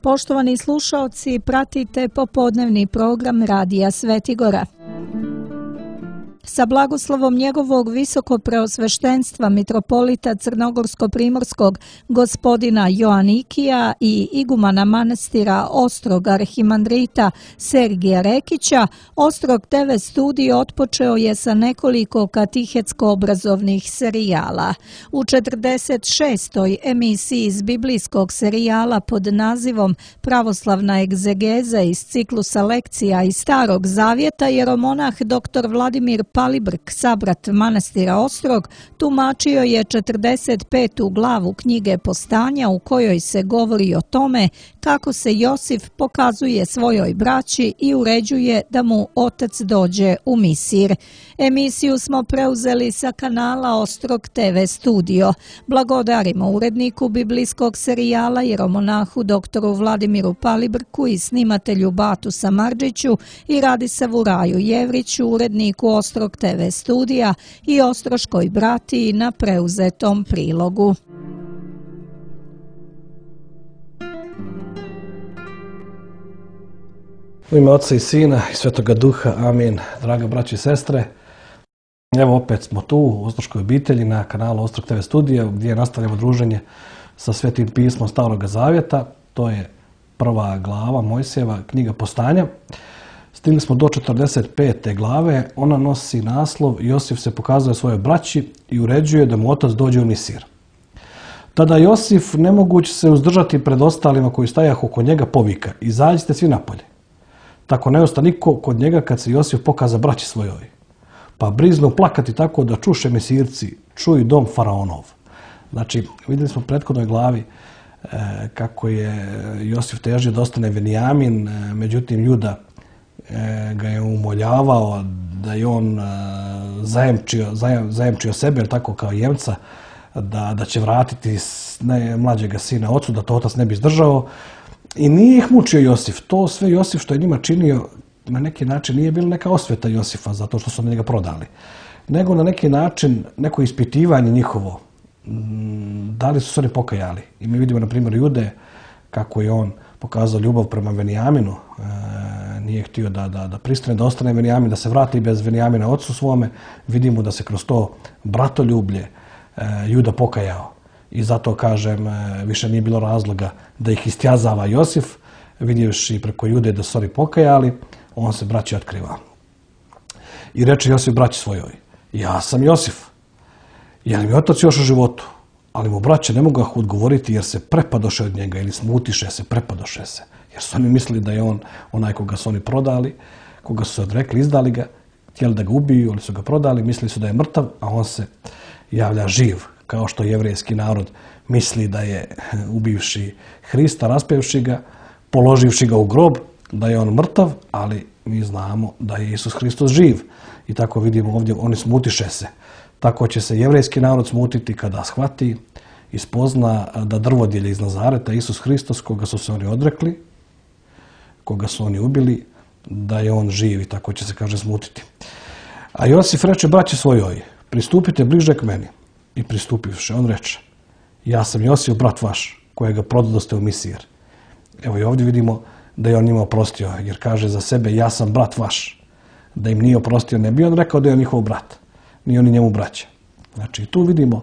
Poštovani slušaoci, pratite popodnevni program Radija Svetigora. Sa blagoslovom njegovog visokopreosveštenstva mitropolita Crnogorsko-primorskog gospodina Joanikija i igumana manastira Ostrog arhimandrita Sergija Rekića, Ostrog TV studio otpočeo je sa nekoliko katehetsko-obrazovnih serijala. U 46. emisiji iz biblijskog serijala pod nazivom Pravoslavna egzegeza iz ciklusa lekcija iz Starog Zavjeta jeromonah dr. Vladimir Palibrk, sabrat manastira Ostrog, tumačio je 45. glavu knjige Postanja u kojoj se govori o tome kako se Josif pokazuje svojoj braći i uređuje da mu otac dođe u Misir. Emisiju smo preuzeli sa kanala Ostrog TV studio. Blagodarimo uredniku biblijskog serijala jeromonahu dr. Vladimiru Palibrku i snimatelju Batu Samardžiću i Radisavu Raju Jevriću, uredniku Ostrog TV studija i ostroškoj bratiji na preuzetom prilogu. U ime Oca i Sina i Svetoga Duha, amin. Draga braći i sestre, evo opet smo tu u Ostroškoj obitelji na kanalu Ostrog TV studija gdje nastavljamo druženje sa Svetim pismom Starog Zavjeta. To je prva glava Mojsijeva, knjiga Postanja. Stigli smo do 45. glave, ona nosi naslov Josif se pokazuje svojoj braći i uređuje da mu otac dođe u Misir. Tada Josif, nemogući se uzdržati pred ostalima koji stajahu oko njega, povika: izađite svi napolje. Tako ne osta niko kod njega kad se Josif pokaza braći svojoj. Pa briznu plakati tako da čuše Misirci, čuju dom faraonov. Znači, vidjeli smo u prethodnoj glavi kako je Josif težio da ostane Venijamin, međutim Juda ga je umoljavao da je on zajemčio sebe, jer tako kao jemca, da će vratiti mlađega sina ocu, da to otac ne bi izdržao. I nije ih mučio Josif. To sve Josif što je njima činio na neki način nije bila neka osveta Josifa zato što su njega prodali, nego na neki način neko ispitivanje njihovo. Da li su se oni pokajali? I mi vidimo na primjer Jude kako je on pokazao ljubav prema Venijaminu. Nije htio da pristane, da ostane Venijamin, da se vrati bez Venijamina ocu svome. Vidimo da se kroz to bratoljublje Juda pokajao. I zato, kažem, više nije bilo razloga da ih istjazava Josif, vidjevši preko Jude da su oni pokajali, on se braći otkriva. I reče Josif braći svojoj: ja sam Josif, je li mi otac još u životu? Ali mu braće ne mogu odgovoriti jer se prepadoše od njega, ili smutiše se, prepadoše se. Jer su oni mislili da je on onaj koga su oni prodali, koga su se odrekli, izdali ga, htjeli da ga ubiju, ali su ga prodali, mislili su da je mrtav, a on se javlja živ. Kao što jevrejski narod misli da je ubivši Hrista, raspevši ga, položivši ga u grob, da je on mrtav, ali mi znamo da je Isus Hristos živ. I tako vidimo ovdje, oni smutiše se. Tako će se jevrejski narod smutiti kada shvati i spozna da drvodjelje iz Nazareta, Isus Hristos, koga su se oni odrekli, koga su oni ubili, da je on živ, i tako će se, kaže, smutiti. A Josif reče braći svojoj: pristupite bliže k meni. I pristupivši, on reče: ja sam Josif, brat vaš, kojega prodadoste u Misir. Evo i ovdje vidimo da je on njima oprostio, jer kaže za sebe: ja sam brat vaš. Da im nije oprostio, ne bi on rekao da je on njihov brat, ni oni njemu braća. Znači, tu vidimo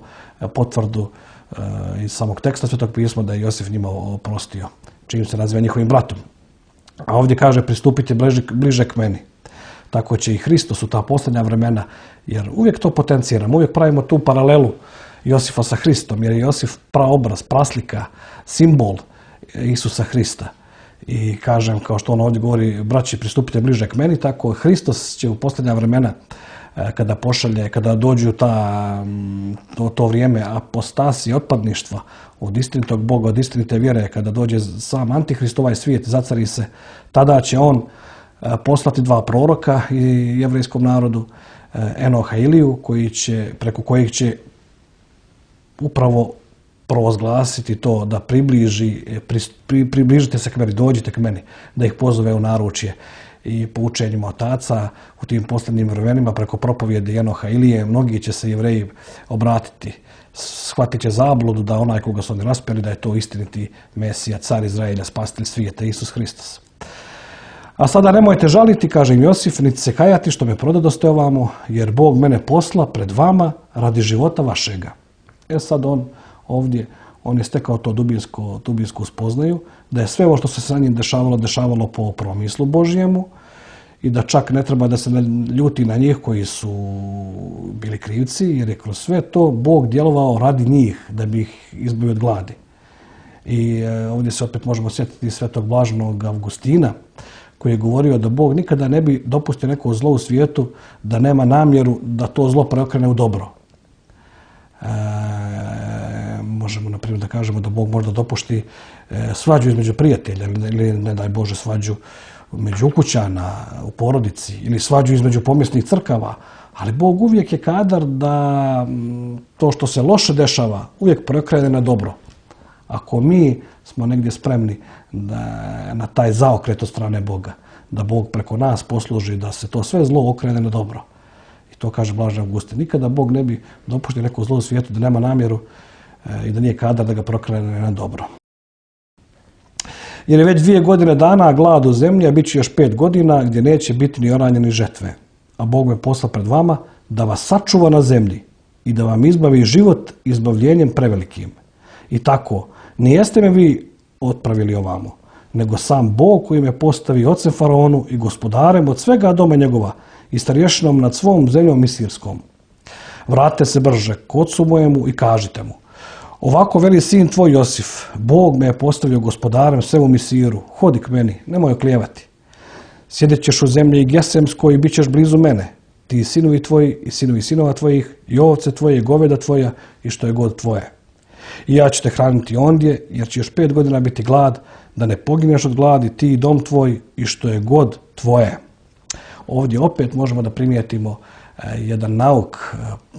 potvrdu iz samog teksta Svetog pisma da je Josif njima oprostio, čim se naziva njihovim bratom. A ovdje kaže: pristupite bliže k meni. Tako će i Hristos u ta posljednja vremena, jer uvijek to potenciramo, uvijek pravimo tu paralelu Josifa sa Hristom, jer je Josif praobraz, praslika, simbol Isusa Hrista. I kažem, kao što on ovdje govori, braći, pristupite bliže k meni, tako Hristos će u posljednja vremena, kada pošalje, kada dođu to vrijeme apostasije, otpadništva od istinitog Boga, od istinite vjere, kada dođe sam Antihrist, ovaj svijet, zacari se, tada će on poslati dva proroka i jevrejskom narodu, Enoha i Iliju, preko kojih će upravo provozglasiti to, da približite se k meni, dođite k meni, da ih pozove u naručje i po učenjima otaca u tim posljednjim vremenima preko propovjede Enoha Ilije, mnogi će se Jevreji obratiti, shvatit će zabludu da onaj koga su oni raspeli, da je to istiniti Mesija, car Izraelja, spasitelj svijeta, Isus Hristos. A sada nemojte žaliti, kaže im Josif, niti se kajati što me prodadoste ovamo, jer Bog mene posla pred vama radi života vašega. Sad on ovdje, on je stekao to dubinsku spoznaju, da je sve ovo što se sa njim dešavalo po promislu Božjemu i da čak ne treba da se ljuti na njih koji su bili krivci, jer je kroz sve to Bog djelovao radi njih, da bi ih izbavio od gladi. I ovdje se opet možemo sjetiti svetog blaženog Avgustina, koji je govorio da Bog nikada ne bi dopustio neko zlo u svijetu da nema namjeru da to zlo preokrene u dobro. Možemo, na primjer, da kažemo da Bog možda dopušti svađu između prijatelja ili, ne daj Bože, svađu među ukućana, u porodici ili svađu između pomjesnih crkava, ali Bog uvijek je kadar da to što se loše dešava uvijek preokrene na dobro. Ako mi smo negdje spremni na taj zaokret od strane Boga, da Bog preko nas posluži da se to sve zlo okrene na dobro. I to kaže blaženi Avgustin. Nikada Bog ne bi dopuštio neko zlo u svijetu da nema namjeru i da nije kadar da ga prokrene na dobro. Jer je već 2 godine dana glad u zemlji, a bit će još 5 godina gdje neće biti ni oranje ni žetve. A Bog me posla pred vama da vas sačuva na zemlji i da vam izbavi život izbavljenjem prevelikim. I tako, nijeste me vi otpravili ovamo, nego sam Bog koji me postavi ocem faraonu i gospodarem od svega doma njegova i starješinom nad svom zemljom misirskom. Vratite se brže k ocu mojemu i kažite mu: ovako veli sin tvoj Josif, Bog me je postavio gospodarem svemu Misiru, hodi k meni, nemoj oklijevati. Sjedit ćeš u zemlji i Gesemskoj i bit ćeš blizu mene, ti i sinovi tvoji i sinovi sinova tvojih i ovce tvoje i goveda tvoja i što je god tvoje. I ja ću te hraniti ondje, jer će još 5 godina biti glad, da ne pogineš od gladi, ti i dom tvoj i što je god tvoje. Ovdje opet možemo da primijetimo jedan nauk,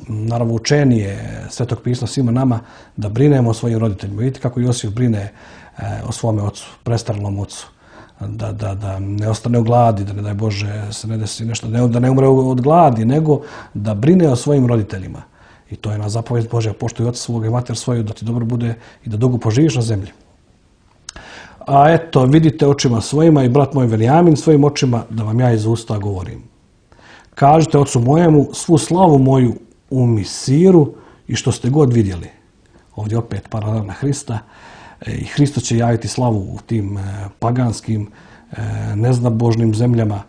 naravno učenije Svetog pisma svima nama, da brinemo o svojim roditeljima. Vidite kako Josif brine o svome ocu, prestarelom ocu. Da ne ostane u gladi, da ne daj Bože se ne desi nešto, da ne umre od gladi, nego da brine o svojim roditeljima. I to je na zapovijed Božja, poštuj oca svoga i mater svoju, da ti dobro bude i da dugo poživiš na zemlji. A eto, vidite očima svojima i brat moj Venijamin svojim očima, da vam ja iz usta govorim. Kažite ocu mojemu svu slavu moju u Misiru i što ste god vidjeli. Ovdje opet paralela na Hrista. I Hristos će javiti slavu u tim paganskim, neznabožnim zemljama,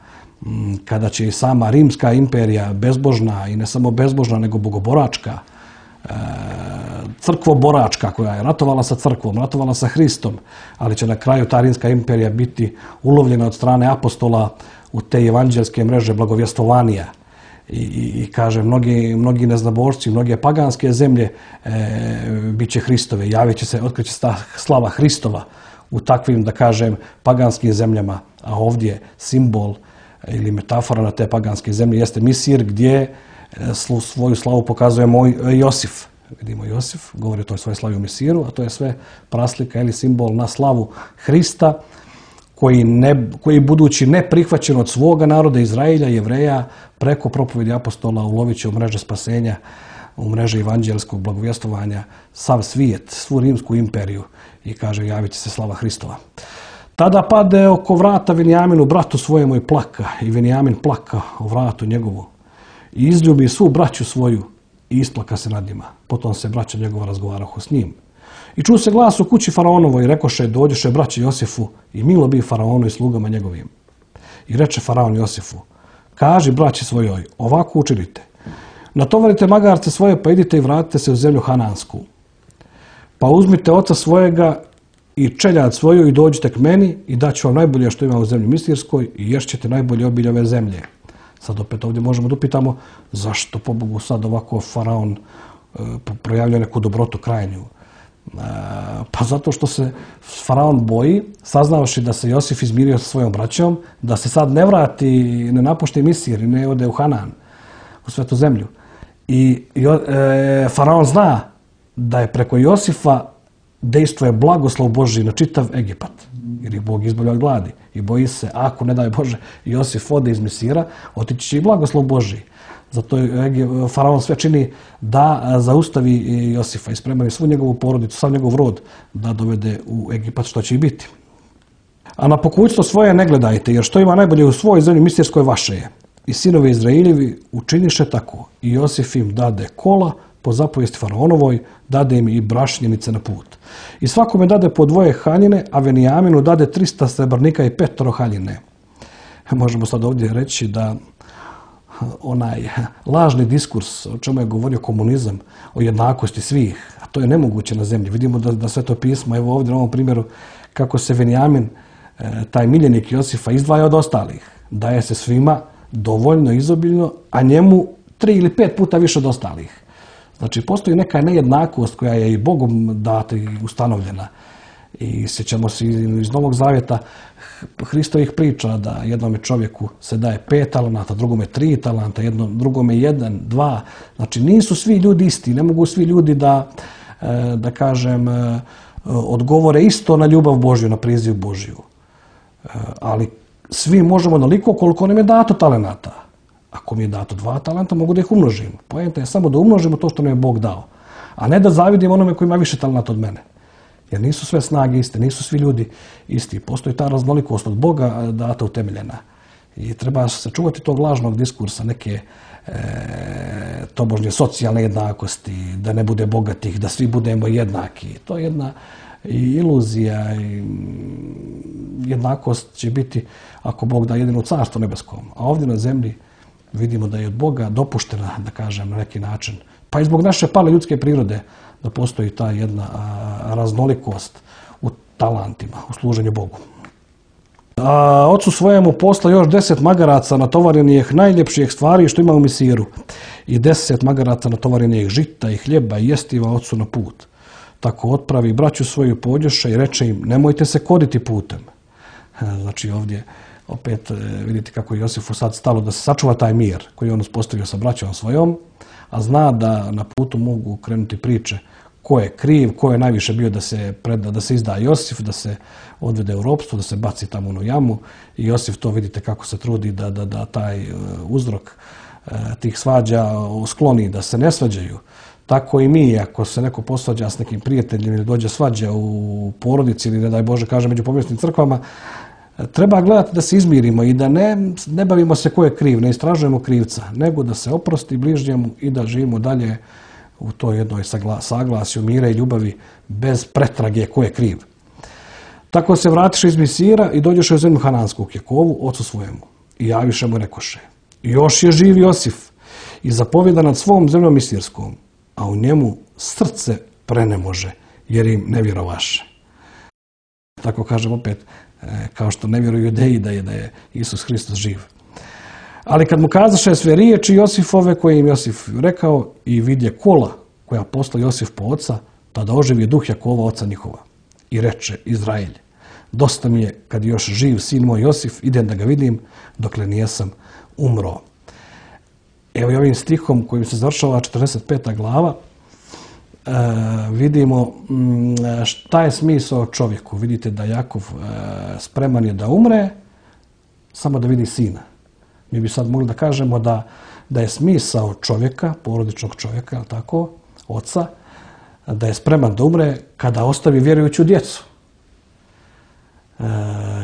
kada će i sama Rimska imperija, bezbožna i ne samo bezbožna, nego bogoboračka, crkvoboračka, koja je ratovala sa crkvom, ratovala sa Hristom, ali će na kraju ta Rimska imperija biti ulovljena od strane apostola u te evanđelske mreže blagovjestovanja. I kaže, mnogi neznabožci, mnoge paganske zemlje bit će Hristove, javit će se, otkriće se ta slava Hristova u takvim, da kažem, paganskim zemljama, a ovdje simbol ili metafora na te paganske zemlje jeste Misir, gdje svoju slavu pokazuje Josif. Vidimo Josif, govori o toj svojoj slavi u Misiru, a to je sve praslika ili simbol na slavu Hrista, koji budući neprihvaćen od svoga naroda Izraelja, Jevreja, preko propovjedi apostola ulovit će u mreže spasenja, u mreže evanđelskog blagovjestovanja sav svijet, svu Rimsku imperiju i kaže javit će se slava Hristova. Tada pade oko vrata Venijaminu bratu svojemu i plaka, i Venijamin plaka o vratu njegovu i izljubi svu braću svoju i isplaka se nad njima. Potom se braća njegova razgovarahu s njim. I čuo se glas u kući faraonovoj i rekoše: dođoše braće Josifu i milo bi faraonu i slugama njegovim. I reče faraon Josifu: kaži braći svojoj, ovako učinite. Natovarite magarce svoje, pa idite i vratite se u zemlju Hanansku. Pa uzmite oca svojega i čeljad svoju i dođite k meni i daću vam najbolje što ima u zemlji Misirskoj i ješćete najbolje obilje ove zemlje. Sad opet ovdje možemo da upitamo zašto pobogu sad ovako faraon projavlja neku dobrotu krajnju. Pa zato što se faraon boji, saznavši da se Josif izmirio sa svojom braćom, da se sad ne vrati, ne napušti Misir i ne ode u Hanan, u svetu zemlju. I faraon zna da je preko Josifa dejstvuje blagoslov Božji na čitav Egipat, jer ih Bog izbavlja od gladi. I boji se, ako ne daj Bože Josif ode iz Misira, otići će i blagoslov Božji. Zato faraon sve čini da zaustavi Josifa i spremani svu njegovu porodicu, sav njegov rod da dovede u Egipat, što će i biti. A na pokućstvo svoje ne gledajte, jer što ima najbolje u svojoj zemlji misirskoj vaše je. I sinovi Izraeljevi učiniše tako. I Josif im dade kola po zapovijesti faraonovoj, dade im i brašnjenice na put. I svakome dade po 2 haljine, a Venijaminu dade 300 srebrnika i 5 haljine. Možemo sad ovdje reći da onaj lažni diskurs, o čemu je govorio komunizam, o jednakosti svih, a to je nemoguće na zemlji. Vidimo da Sveto pismo, evo ovdje na ovom primjeru, kako se Venijamin, taj miljenik Josifa, izdvaja od ostalih. Daje se svima dovoljno, izobiljno, a njemu 3 ili 5 puta više od ostalih. Znači, postoji neka nejednakost koja je i Bogom data i ustanovljena. I sjećamo se iz Novog Zavjeta Hristovih priča da jednome čovjeku se daje 5 talenata, drugome 3 talenta, drugome 1, 2. Znači, nisu svi ljudi isti. Ne mogu svi ljudi da kažem, odgovore isto na ljubav Božju, na priziv Božju. Ali svi možemo onoliko koliko nam je dato talenata. Ako mi je dato 2 talenta, mogu da ih umnožim. Poenta je samo da umnožimo to što nam je Bog dao. A ne da zavidim onome koji ima više talenata od mene. Jer nisu sve snage iste, nisu svi ljudi isti. Postoji ta raznolikost od Boga data utemeljena. I treba se čuvati tog lažnog diskursa, neke tobožnje socijalne jednakosti, da ne bude bogatih, da svi budemo jednaki. To je jedna iluzija i jednakost će biti ako Bog da jedino carstvo nebeskom. A ovdje na zemlji vidimo da je od Boga dopuštena, da kažem, na neki način, pa i zbog naše pale ljudske prirode, da postoji ta jedna raznolikost u talentima, u služenju Bogu. A ocu svojemu posla još 10 magaraca natovarenih najljepših stvari što ima u Misiru i 10 magaraca natovarenih žita i hljeba i jestiva ocu na put. Tako otpravi braću svoju pođoše i reče im, nemojte se koditi putem. Znači ovdje opet vidite kako je Josifu sad stalo da se sačuva taj mir koji je on uspostavio sa braćom svojom, a zna da na putu mogu krenuti priče ko je kriv, ko je najviše bio da se preda, da se izda Josif, da se odvede u ropstvo, da se baci tamo u jamu. I Josif to vidite kako se trudi da taj uzrok tih svađa skloni, da se ne svađaju. Tako i mi, ako se neko posvađa s nekim prijateljem ili dođe svađa u porodici ili ne daj Bože kaže među pomjesnim crkvama, treba gledati da se izmirimo i da ne bavimo se ko je kriv, ne istražujemo krivca, nego da se oprosti bližnjemu i da živimo dalje u toj jednoj saglasju mira i ljubavi bez pretrage ko je kriv. Tako se vratiše iz Misira i dođeše u zemlju Hanansku k Jakovu, ocu svojemu. I javiše mu rekoše, još je živ Josif i zapovjeda nad svom zemljom misirskom, a u njemu srce prenemože, jer im ne vjerovaše. Tako kažem opet, kao što ne vjeruju Judeji da je Isus Hristos živ. Ali kad mu kazaše sve riječi Josifove koje im Josif rekao i vidje kola koja posla Josif po oca, tada oživi duh Jakova, oca njihova. I reče Izraelj, dosta mi je kad još živ sin moj Josif, idem da ga vidim dokle nijesam umro. Evo i ovim stihom kojim se završava 45. glava, vidimo šta je smisao čovjeku. Vidite da Jakov spreman je da umre, samo da vidi sina. Mi bi sad mogli da kažemo da je smisao čovjeka, porodičnog čovjeka, tako, oca, da je spreman da umre kada ostavi vjerujuću djecu.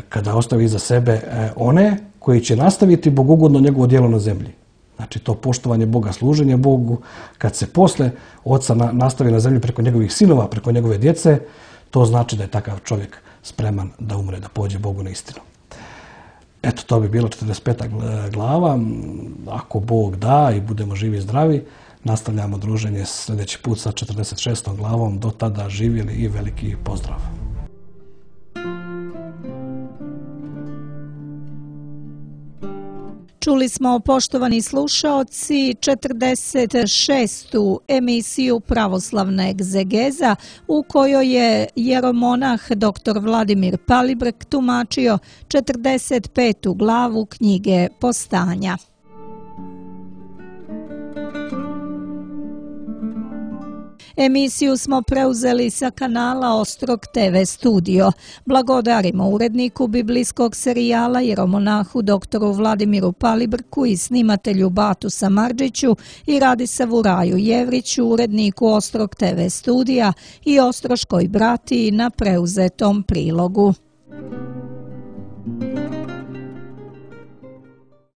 Kada ostavi iza sebe one koji će nastaviti bogugodno njegovo djelo na zemlji. Znači to poštovanje Boga, služenje Bogu, kad se posle oca nastavi na zemlji preko njegovih sinova, preko njegove djece, to znači da je takav čovjek spreman da umre, da pođe Bogu na istinu. Eto, to bi bilo 45. glava. Ako Bog da i budemo živi i zdravi, nastavljamo druženje sljedeći put sa 46. glavom. Do tada živjeli i veliki pozdrav. Čuli smo, poštovani slušaoci, 46. emisiju Pravoslavna egzegeza u kojoj je jeromonah dr. Vladimir Palibrek tumačio 45. glavu knjige Postanja. Emisiju smo preuzeli sa kanala Ostrog TV studio. Blagodarimo uredniku biblijskog serijala jeromonahu doktoru Vladimiru Palibrku i snimatelju Batu Samardžiću i Radisavu Raju Jevriću, uredniku Ostrog TV studija i ostroškoj bratiji na preuzetom prilogu.